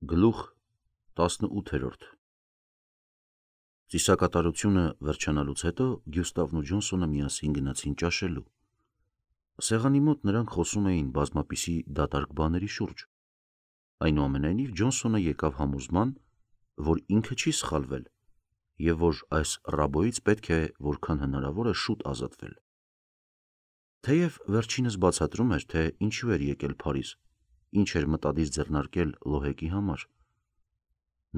Գլուխ 18 Ծիսակատարությունը վերջանալուց հետո Գյուստավն ու Ջոնսոնը միասին գնացին ճաշելու։ Սեղանի մոտ նրանք խոսում էին բազմապիսի դատարկ բաների շուրջ։ Այնուամենայնիվ Ջոնսոնը եկավ համոզման, որ ինքը չի սխալվել և որ այս ռաբոյից պետք է որքան հնարավոր է շուտ ազատվել։ Թեև վերջինս բացատրում էր, թե ինչու էր եկել Փարիզ, ինչ էր մտադիր ձեռնարկել Լոհեկի համար։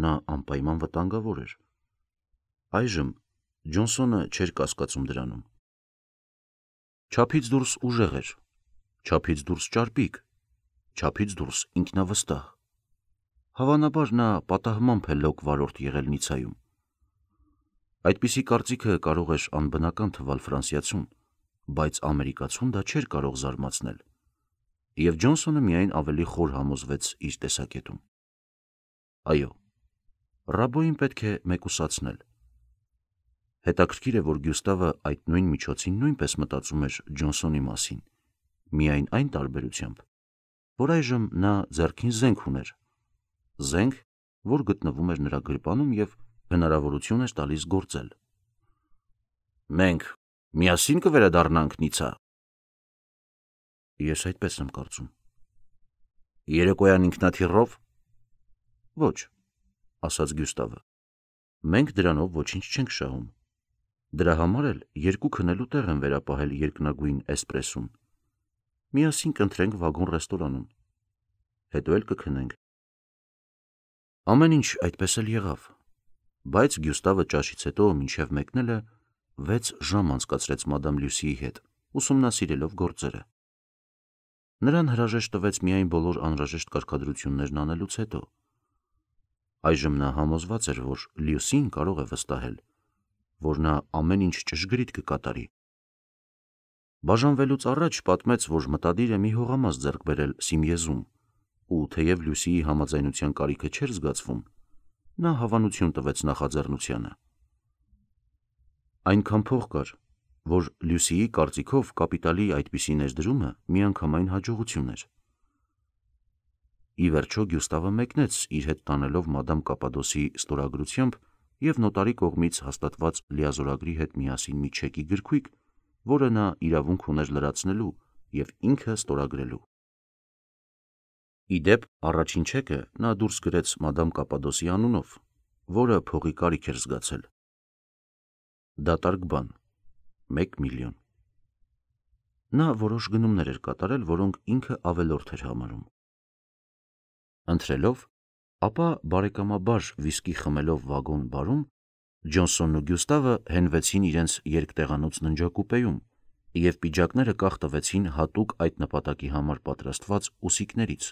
Նա անպայման վտանգավոր էր։ Այժմ Ջոնսոնը չէր կասկածում դրանում։ Չափից դուրս ուժեղ էր, չափից դուրս ճարպիկ, չափից դուրս ինքնավստահ։ Հավանաբար նա պատահմամբ է լոկ վարորդ եղել Նիցայում։ Այդպիսի կարծիքը կարող էր անբնական թվալ ֆրանսիացուն, բայց ամերիկացուն դա չէր կարող զարմացնել, և Ջոնսոնը միայն ավելի խոր համոզվեց իր տեսակետում։ Այո, ռաբոյին պետք է մեկուսացնել։ Հետաքրքիր է, որ Գյուստավը այդ նույն միջոցին նույնպես մտածում էր Ջոնսոնի մասին, միայն այն տարբերությամբ, որ այժմ նա ձեռքին զենք ուներ, զենք, որ գտնվում էր նրա գրպանում և հնարավորություն էր տալիս գործել։ Մենք միասին կվերադառնանք Նիցա։ Ես այդպես եմ կարծում։ Երեկոյան ինքնաթիռով։ Ոչ, ասաց Գյուստավը, մենք դրանով ոչինչ չենք շահում։ Դրա համար էլ երկու քնելու տեղ եմ վերապահել երկնագույն էսպրեսուն։ Միասին կընթրենք վագոն ռեստորանում, հետո էլ կքնենք։ Ամեն ինչ այդպես էլ եղավ, բայց Գյուստավը ճաշից հետո մինչև մեկնելը 6 ժամ անցկացրեց մադամ Լյուսիի հետ, ուսումնասիրելով գործերը։ Նրան հրաժեշտ տվեց միայն բոլոր անհրաժեշտ կարգադրություններն անելուց հետո։ Այժմ նա համոզված էր, որ Լյուսին կարող է վստահել, որ նա ամեն ինչ ճշգրիտ կկատարի։ Բաժանվելուց առաջ պատմեց, որ մտադիր է մի հողամաս ձեռք բերել Սիմիեզում, ու թեև Լյուսիի համաձայնության կարիքը չէր զգացվում, նա հավանություն տվեց նախաձեռնությանը։ Այնքան փող կար, որ Լյուսիի կարծիքով կապիտալի այդպիսի ներդրումը միանգամայն հաջողություն էր։ Ի վերջո Գյուստավը մեկնեց իր հետ տանելով մադամ Կապադոսի ստորագրությամբ և նոտարի կողմից հաստատված լիազորագրի հետ միասին մի չեկի գրքույկ, որը նա իրավունք ուներ լրացնելու և ինքը ստորագրելու։ Ի դեպ, առաջին չեկը նա դուրս գրեց մադամ Կապադոսի անունով, որը փողի կարիք էր զգացել։ Դատարկ բան՝ 1 միլիոն։ Նա որոշ գնումներ էր կատարել, որոնք ինքը ավելորդ էր համարում։ Ընթրելով, ապա բարեկամաբար վիսկի խմելով վագոն բարում, Ջոնսոնն ու Գյուստավը հենվեցին իրենց երկտեղանոց ննջակուպեում և պիջակները կախ տվեցին հատուկ այդ նպատակի համար պատրաստված ուսիկներից։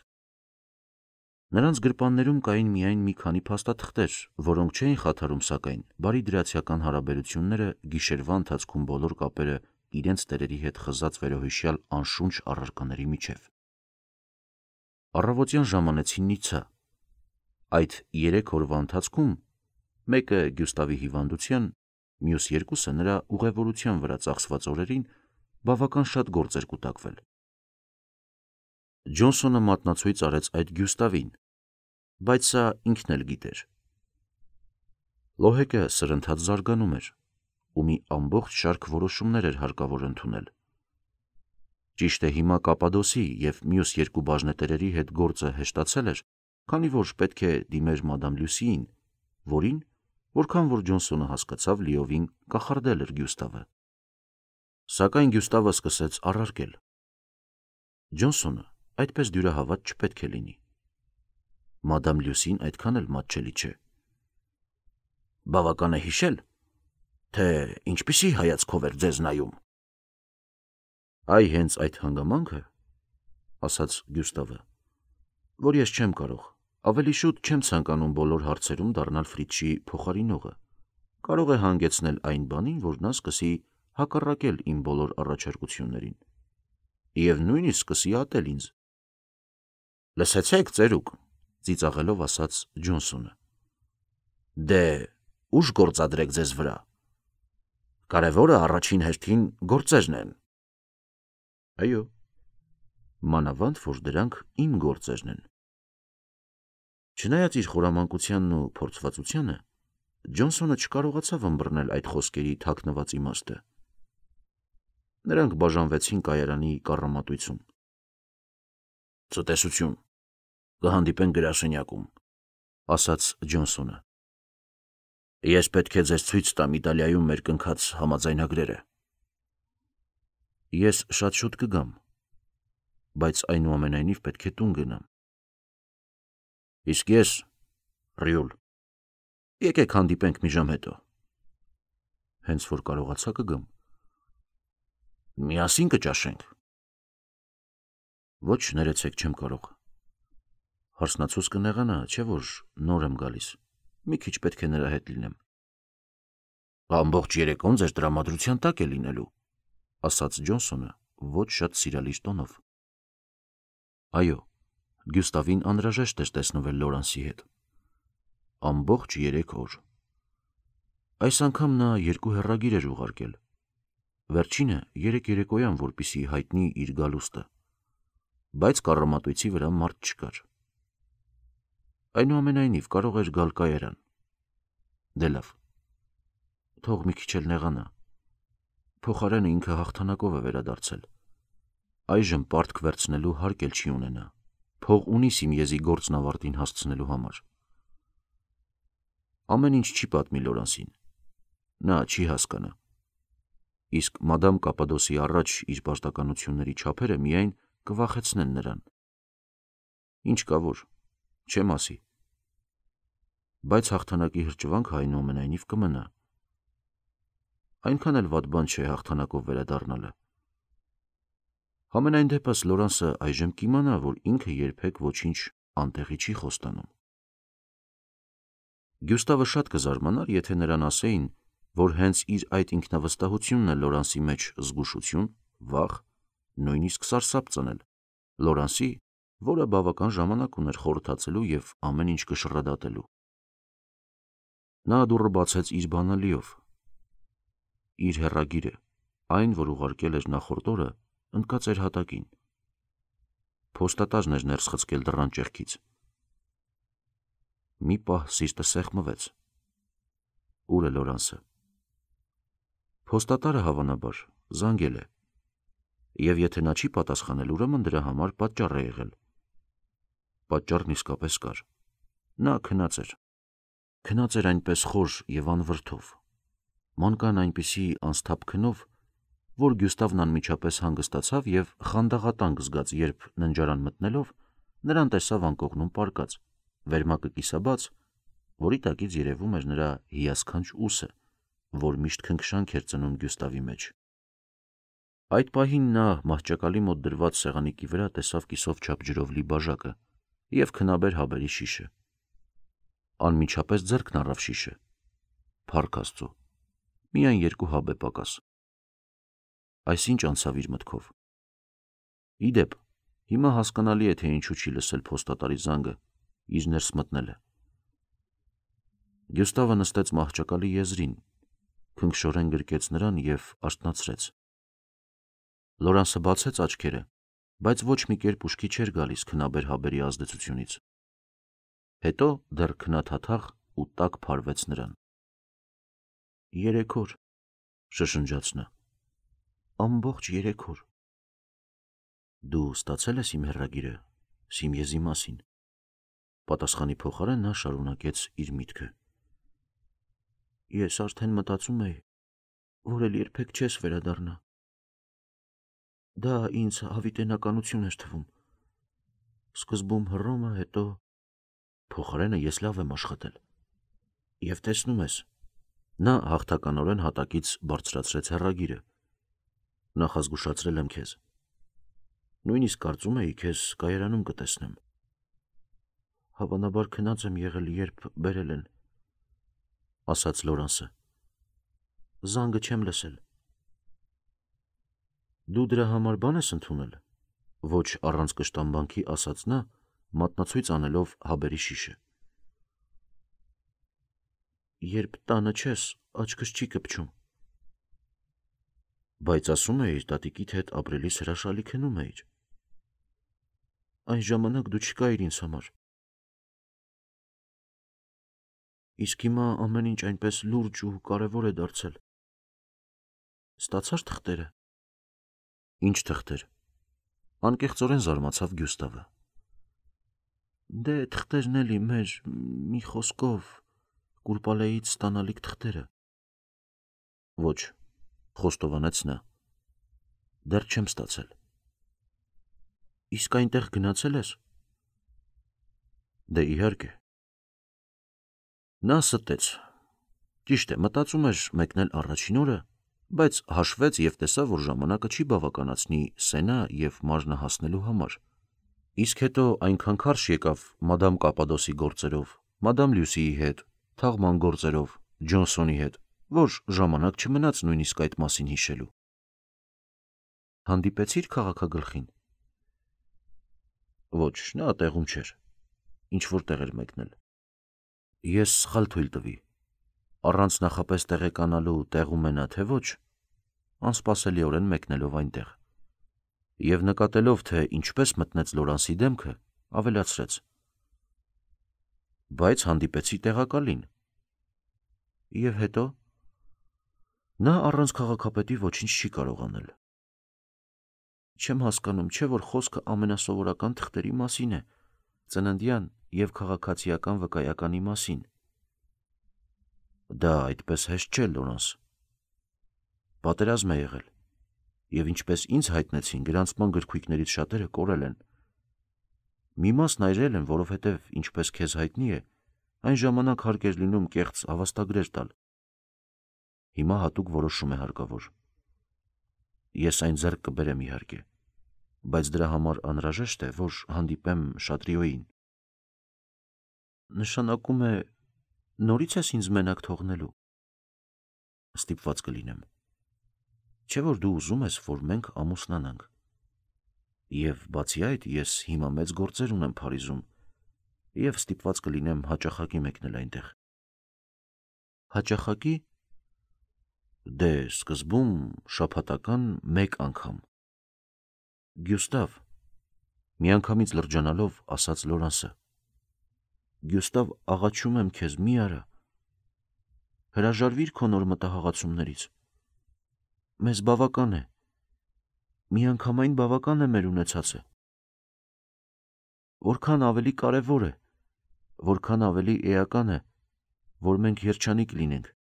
Նրանց գրպաններում կային միայն մի քանի փաստաթղթեր, որոնք չէին խաթարում, սակայն, բարի դրացիական հարաբերությունները, գիշերվա ընթացքում բոլոր կապերը իրենց տերերի հետ խզած վերոհիշյալ անշունչ առարկաների միջև։ Առավոտյան ժամանեցին Նիցա։ Այդ 3 օրվա ընթացքում մեկը Գյուստավի հիվանդության, մյուս երկուսը նրա ուղևորության վրա ծախսված օրերին բավական շատ գործ էր կուտակվել։ Ջոնսոնը մատնացույց արեց այդ Գյուստավին, բայց սա ինքն էլ գիտեր։ Լոհեկը սրընթաց զարգանում էր, ու մի ամբողջ շարք որոշումներ էր հարկավոր ընդունել։ Ճիշտ է, հիմա Կապադոսի և մյուս երկու բաժնետերերի հետ գործը հեշտացել էր, քանի որ պետք է դիմեր մադամ Լյուսիին, որին, որքան որ Ջոնսոնը հասկացավ, լիովին կախարդել էր Գյուստավը։ Սակայն Գյուստավը սկսեց առարկել։ Ջոնսոնը այդպես դյուրահավատ չպետք է լինի։ Մադամ Լյուսին այդքան էլ մատչելի չէ։ Բավական է հիշել, թե ինչպիսի հայացքով էր ձեզ նայում։ Այ հենց այդ հանգամանքը, ասաց Գյուստավը, որ ես չեմ կարող, ավելի շուտ չեմ ցանկանում բոլոր հարցերում դառնալ Ֆրիցշի փոխարինողը, կարող է հանգեցնել այն բանին, որ նա սկսի հակառակել իմ բոլոր առաջարկություններին և նույնիսկ սկսի ատել ինձ։ Լսեցեք, ծերուկ, ծիծաղելով ասաց Ջոնսոնը։ Դե, ուժ գործադրեք ձեզ վրա։ Կարևորը առաջին հերթին գործերն են։ Այո, մանավանդ, որ դրանք իմ գործերն են։ Չնայած իր խորամանկությանն ու փորձվածությանը, Ջոնսոնը չկարողացավ ըմբռնել այդ խոսքերի թաքնված իմաստը։ Նրանք բաժանվեցին կայարանի կառամատույցում։ «Ցտեսություն, կհանդիպենք գրասենյակում», ասաց Ջոնսոնը։ «Ես պետք է ձեզ ցույց տամ Իտալիայում մեր կնքած համաձայնագրերը»։ «Ես շատ շուտ կգամ, բայց այնուամենայնիվ պետք է տուն գնամ»։ «Իսկ ես, Ռյուլ, եկեք հանդիպենք մի ժամ հետո»։ «Հենց որ կարողացա կգամ»։ «Միասին կճաշենք»։ «Ոչ, ներեցեք, չեմ կարող»։ Հարսնացուց կնեղանա, չէ՞ որ նոր եմ գալիս, մի քիչ պետք է նրա հետ լինեմ։ «Ամբողջ երեկոն ձեր տրամադրության տակ է լինելու», ասաց Ջոնսոնը ոչ շատ սիրալիր տոնով։ Այո, Գյուստավին անհրաժեշտ էր տեսնվել Լորանսի հետ։ Ամբողջ 3 օր։ Այս անգամ նա 2 հեռագիր էր ուղարկել։ Վերջինը 3 երեկոյան, որպեսզի հայտնի իր գալուստը, բայց կառամատույցի վրա մարդ չկար։ Այնուամենայնիվ կարող էր գալ կայարան։ Դե լավ, թող մի քիչ էլ նեղանա։ Փոխարենը ինքը հաղթանակով է վերադարձել։ Այժմ պարտք վերցնելու հարկ էլ չի ունենա, փող ունի Սիմիեզի գործն ավարտին հասցնելու համար։ Ամեն ինչ չի պատմի Լորանսին, նա չի հասկանա։ Իսկ մադամ Կապադոսի առաջ իր պարտականությունների չափերը միայն կվախեցնեն նրան։ Ինչ կա որ, չեմ ասի։ Բայց հաղթանակի հրճվանքը այնուամենայնիվ կմնա։ Այնքան էլ վատ բան չէ հաղթանակով վերադառնալը։ Համենայն դեպս Լորանսը այժմ կիմանա, որ ինքը երբեք ոչինչ անտեղի չի խոստանում։ Գյուստավը շատ կզարմանար, եթե նրան ասեին, որ հենց իր այդ ինքնավստահությունն է Լորանսի մեջ զգուշություն, վախ, նույնիսկ սարսափ ծնել, Լորանսի, որը բավական ժամանակ ուներ խորհրդացելու և ամեն ինչ կշռադատելու։ Նա դուռը բացեց իր բանալիով։ Իր հեռագիրը, այն, որ ուղարկել էր նախորդ օրը, ընկած էր հատակին։ Փոստատարն էր ներս խցկել դռան ճեղքից։ Մի պահ սիրտը սեղմվեց։ Ուր է Լորանսը։ Փոստատարը հավանաբար զանգել է, և եթե նա չի պատասխանել, ուրեմն դրա համար պատճառ է եղել։ Պատճառն իսկապես կար։ Նա քնած էր։ Քնած էր այնպես խոր և անվրդով, մանկան այնպիսի անսթափ քնով, որ Գյուստավն անմիջապես հանգստացավ և խանդաղատանք զգաց, երբ ննջարան մտնելով նրան տեսավ անկողնում պառկած, վերմակը կիսաբաց, որի տակից երևում էր նրա հիասքանչ ուսը, որ միշտ քնքշանք էր ծնում Գյուստավի մեջ։ Այդ պահին նա մահճակալի մոտ դրված սեղանիկի վրա տեսավ կիսով չափ ջրով լի բաժակը և քնաբեր հաբերի շիշը։ Անմիջապես ձեռքն առավ շիշը։ Փառք Աստծո, միայն 2 հաբ է պակաս։ Այսինչ անցավ իր մտքով։ Ի դեպ, հիմա հասկանալի է, թե ինչու չի լսել փոստատարի զանգը, իր ներս մտնել է։ Գյուստավը նստեց մահճակալի եզրին, քնքշորեն գրկեց նրան և արթնացրեց։ Լորանսը բացեց աչքերը, բայց ոչ մի կերպ ուշքի չէր գալիս քնաբեր հաբերի ազդեցությունից։ Հետո դեռ քնաթաթախ ու տաք փարվեց նրան։ 3 օր, շշնջաց նա, ամբողջ 3 օր։ Դու ստացել ես իմ հեռագիրը Սիմիեզի մասին։ Պատասխանի փոխարեն նա շարունակեց իր միտքը։ Ես արդեն մտածում էի, որ էլ երբեք չես վերադառնա։ Դա ինձ հավիտենականություն էր թվում։ Սկզբում Հռոմը, հետո փոխարենը ես լավ եմ աշխատել։ Եվ տեսնում ես, նա հաղթականորեն հատակից բարձրացրեց հեռագիրը։ Նախազգուշացրել եմ քեզ։ Նույնիսկ կարծում էի քեզ կայարանում կտեսնեմ։ Հավանաբար քնած եմ եղել, երբ բերել են, ասաց Լորանսը։ Զանգը չեմ լսել։ Դու դրա համար բան ես ընդունել, ոչ առանց կշտամբանքի ասաց նա, մատնացույց անելով հաբերի շիշը։ Երբ տանը չես, աչքս չի կպչում։ Բայց ասում էիր տատիկիդ հետ ապրելիս հրաշալի քնում էիր։ Այն ժամանակ դու չկայիր ինձ համար։ Իսկ հիմա ամեն ինչ այնպես լուրջ ու կարևոր է դարձել։ Ստացա՞ր թղթերը։ Ինչ թղթեր։ Անկեղծորեն զարմացավ Գյուստավը։ Դե թղթերն էլի մեր, մի խոսքով, Կուրպալեից ստանալիք թղթերը։ Ոչ, խոստովանեց նա։ Դեռ չեմ ստացել։ Իսկ այնտեղ գնացել ես։ Դե իհարկե։ Նա ստեց։ Ճիշտ է, մտածում էր մեկնել առաջին օրը, բայց հաշվեց և տեսավ, որ ժամանակը չի բավականացնի Սենա և Մարնա հասնելու համար։ Իսկ հետո այնքան քարշ եկավ մադամ Կապադոսի գործերով, մադամ Լյուսիի հետ, թաղման գործերով, Ջոնսոնի հետ, որ ժամանակ չմնաց նույնիսկ այդ մասին հիշելու։ Հանդիպեցի՞ր քաղաքագլխին։ Ոչ, նա տեղում չէր, ինչ-որ տեղ էր մեկնել։ Ես սխալ թույլ տվի, առանց նախապես տեղեկանալու տեղում է նա, թե ոչ, անսպասելիորեն մեկնելով այնտեղ։ Եվ նկատելով, թե ինչպես մտնեց Լորանսի դեմքը, ավելացրեց. Բայց հանդիպեցի տեղակալին։ Եվ հետո նա առանց քաղաքապետի ոչինչ չի կարող անել։ Չեմ հասկանում, չէ՞ որ խոսքը ամենասովորական թղթերի մասին է, ծննդյան և քաղաքացիական վկայականի մասին։ Դա այդպես հեշտ չէ, Լորանս։ Պատերազմ է եղել, և ինչպես ինձ հայտնեցին, գրանցման գրքույկներից շատերը կորել են։ Մի մասն այրել են, որովհետև, ինչպես քեզ հայտնի է, այն ժամանակ հարկ էր լինում կեղծ հավաստագրեր տալ։ Հիմա հատուկ որոշում է հարկավոր։ Ես այն ձեռք կբերեմ իհարկե, բայց դրա համար անհրաժեշտ է, որ հանդիպեմ Շատրիոյին։ Նշանակում է, նորից ես ինձ մենակ թողնելու։ Ստիպված կլինեմ։ Չէ՞ որ դու ուզում ես, որ մենք ամուսնանանք։ Եվ բացի այդ, ես հիմա մեծ գործեր ունեմ Փարիզում, և ստիպված կլինեմ հաճախակի մեկնել այնտեղ։ Հաճախակի։ Դե, սկզբում շաբաթական մեկ անգամ։ Գյուստավ, միանգամից լրջանալով ասաց Լորանսը, Գյուստավ, աղաչում եմ քեզ, մի արա։ Հրաժարվիր քո նոր մտահղացումներից։ Մեզ բավական է։ Միանգամայն բավական է մեր ունեցածը։ Որքան ավելի կարևոր է, որքան ավելի էական է, որ մենք երջանիկ լինենք,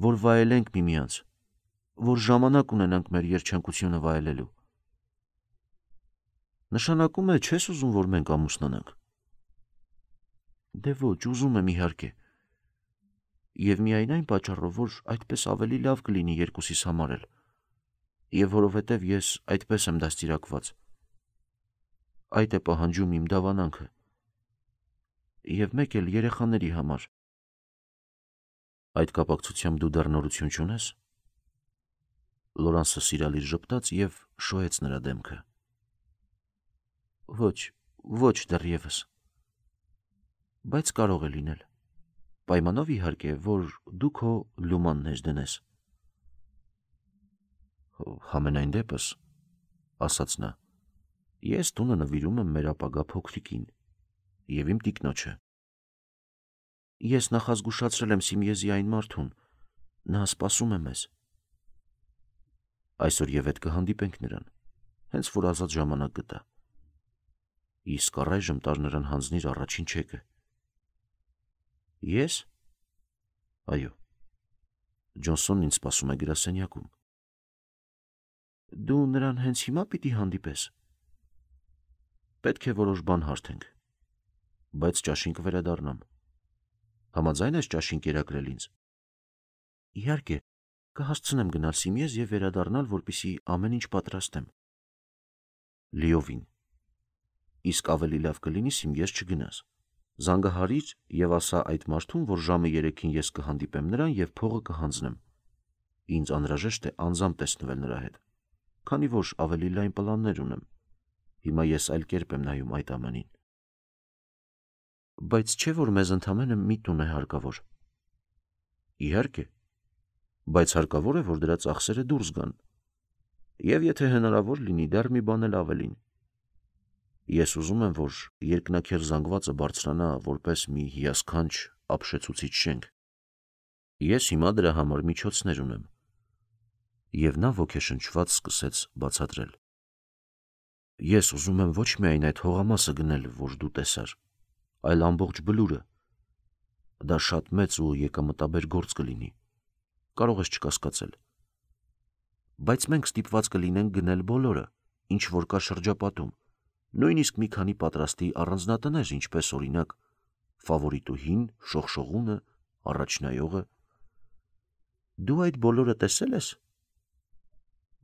որ վայելենք միմյանց, որ ժամանակ ունենանք մեր երջանկությունը վայելելու։ Նշանակում է, չես ուզում, որ մենք ամուսնանանք։ Դե ոչ, ուզում եմ իհարկե։ Եվ միայն այն պատճառով, որ այդպես ավելի լավ կլինի երկուսիս համար էլ, և որովհետև ես այդպես եմ դաստիարակված։ Այդ է պահանջում իմ դավանանքը։ Եվ մեկ էլ երեխաների համար։ Այդ կապակցությամբ դու դեռ նորություն չունես։ Լորանսը սիրալիր ժպտաց և շոյեց նրա դեմքը։ Ոչ, ոչ դեռևս։ Բայց կարող է լինել։ Պայմանով իհարկե, որ դու քո լումանն դնես։ Համենայն դեպս, ասաց նա, ես տունը նվիրում եմ մեր ապագա փոքրիկին և իմ տիկնոջը։ Ես նախազգուշացրել եմ Սիմիեզի այն մարդուն, նա սպասում է մեզ։ Այսօր և հետ կհանդիպենք նրան, հենց որ ազատ ժամանակ գտա։ Իսկ առայժմ տար նրան հանձնիր առաջին չեկը։ Ես։ Այո։ Ջոնսոնն ինձ սպասում է գրասենյակում։ Դու նրան հենց հիմա պիտի հանդիպես։ Պետք է որոշ բան հարթենք, բայց ճաշին կվերադառնամ։ Համաձայն ես ճաշին կերակրել ինձ։ Իհարկե, կհասցնեմ գնալ Սիմիեզ և վերադառնալ, որպեսզի ամեն ինչ պատրաստեմ։ Լիովին։ Իսկ ավելի լավ կլինի Սիմիեզ չգնաս։ Զանգահարիր և ասա այդ մարդուն, որ ժամը 3-ին ես կհանդիպեմ նրան և փողը կհանձնեմ։ Ինձ անհրաժեշտ է անձամբ տեսնվել նրա հետ, քանի որ ավելի լայն պլաններ ունեմ։ Հիմա ես այլ կերպ եմ նայում այդ ամենին։ Բայց չէ՞ որ մեզ ընդամենը մի տուն է հարկավոր։ Իհարկե, բայց հարկավոր է, որ դրա ծախսերը դուրս գան։ Եվ եթե հնարավոր լինի, դեռ մի բան էլ ավելին։ Ես ուզում եմ, որ երկնաքեր զանգվածը բարձրանա որպես մի հիասքանչ ապշեցուցիչ շենք։ Ես հիմա դրա համար միջոցներ ունեմ։ Եվ նա ոգեշնչված սկսեց բացատրել. Ես ուզում եմ ոչ միայն այդ հողամասը գնել, որ դու տեսար, այլ ամբողջ բլուրը։ Դա շատ մեծ ու եկամտաբեր գործ կլինի։ Կարող ես չկասկածել։ Բայց մենք ստիպված կլինենք գնել բոլորը, ինչ որ կա շրջապատում, նույնիսկ մի քանի պատրաստի առանձնատներ, ինչպես օրինակ Ֆավորիտուհին, Շողշողունը, Առաջնայողը։ Դու այդ բոլորը տեսել ես։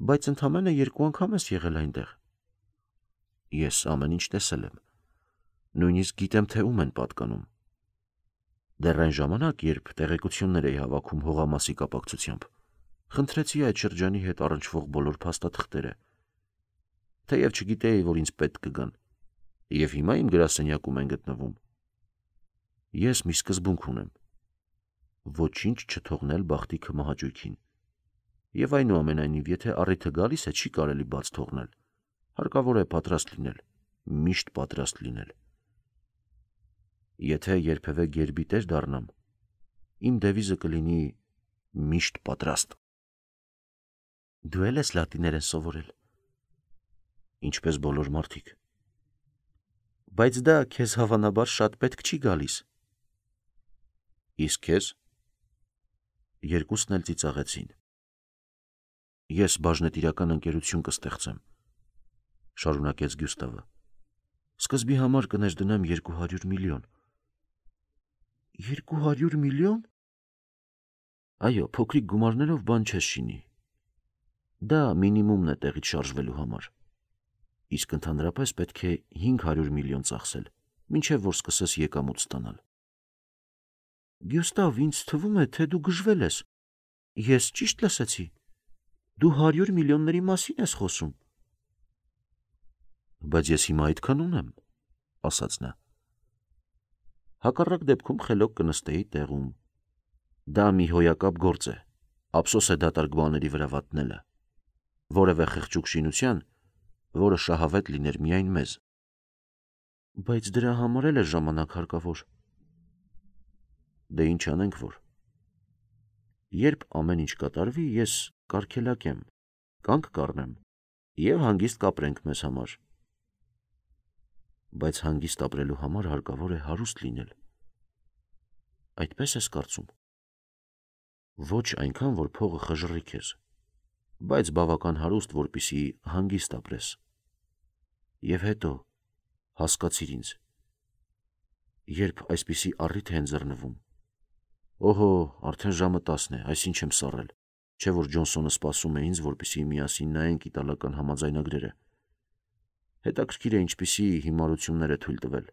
Բայց ընդամենը 2 անգամ ես եղել այնտեղ։ Ես ամեն ինչ տեսել եմ։ Նույնիսկ գիտեմ, թե ում են պատկանում։ Դեռ այն ժամանակ, երբ տեղեկություններ էի հավաքում հողամասի կապակցությամբ, խնդրեցի այդ շրջանի հետ առնչվող բոլոր փաստաթղթերը, թեև չգիտեի, որ ինձ պետք կգան, և հիմա իմ գրասենյակում են գտնվում։ Ես մի սկզբունք ունեմ. ոչինչ չթողնել բախտիքը մահաճույքին, և այնուամենայնիվ, եթե առիթը գալիս է, չի կարելի բաց թողնել, հարկավոր է պատրաստ լինել, միշտ պատրաստ լինել։ Եթե երբևէ գերբիտեր դառնամ, իմ դևիզը կլինի միշտ պատրաստ։ Դու էլ ես լատիներեն սովորել։ Ինչպես բոլոր մարդիկ։ Բայց դա քեզ հավանաբար շատ պետք չի գալիս։ Իսկ քեզ։ Երկուսն էլ ծիծաղեցին։ Ես բաժնետիրական ընկերություն կստեղծեմ, շարունակեց Գյուստավը։ Սկզբի համար կներդնեմ 200 միլիոն։ 200 միլիոն։ Այո, փոքրիկ գումարներով բան չես շինի։ Դա մինիմումն է տեղից շարժվելու համար։ Իսկ ընդհանրապես պետք է 500 միլիոն ծախսել, մինչև որ սկսես եկամուտ ստանալ։ Գյուստավ, ինձ թվում է, թե դու գժվել ես։ Ես ճիշտ լսեցի։ Դու 100 միլիոնների մասին ես խոսում։ Բայց ես հիմա այդքան ունեմ, ասաց նա։ Հակառակ դեպքում խելոք կնստեի տեղում։ Դա մի հոյակապ գործ է, ափսոս է դատարկ բաների վրա վատնելը, որևէ խղճուկ շինության, որը շահավետ լիներ միայն մեզ։ Բայց դրա համար էլ է ժամանակ հարկավոր։ Դե ինչ անենք, որ։ Երբ ամեն ինչ կատարվի, ես կարգելակեմ, կանգ կառնեմ և հանգիստ կապրենք մեզ համար։ Բայց հանգիստ ապրելու համար հարկավոր է հարուստ լինել։ Այդպես ես կարծում։ Ոչ այնքան, որ փողը խժռի քեզ, բայց բավական հարուստ, որպեսզի հանգիստ ապրես։ Եվ հետո, հասկացիր ինձ, երբ այսպիսի առիթ է ընձեռնվում, օհո, արդեն ժամը 10 է, այս ինչ եմ սառել, չէ որ Ջոնսոնը սպասում է ինձ, որպեսզի միասին նայենք իտալական համաձայնագրերը։ Հետաքրքիր է ինչպիսի հիմարություններ է թույլ տվել,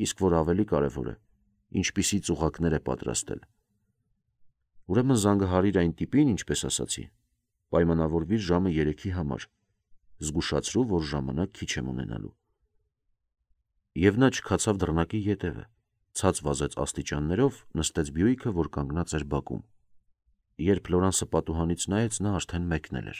իսկ որ ավելի կարևոր է, ինչպիսի ծուղակներ է պատրաստել։ Ուրեմն զանգահարիր այն տիպին, ինչպես ասացի, պայմանավորվիր ժամը 3-ի համար, զգուշացրու, որ ժամանակ քիչ եմ ունենալու։ Եվ նա չքացավ դռնակի ետևը, ցած վազեց աստիճաններով, նստեց Բյուիկը, որ կանգնած էր բակում։ Երբ Լորանսը պատուհանից նայեց, նա արդեն մեկնել էր։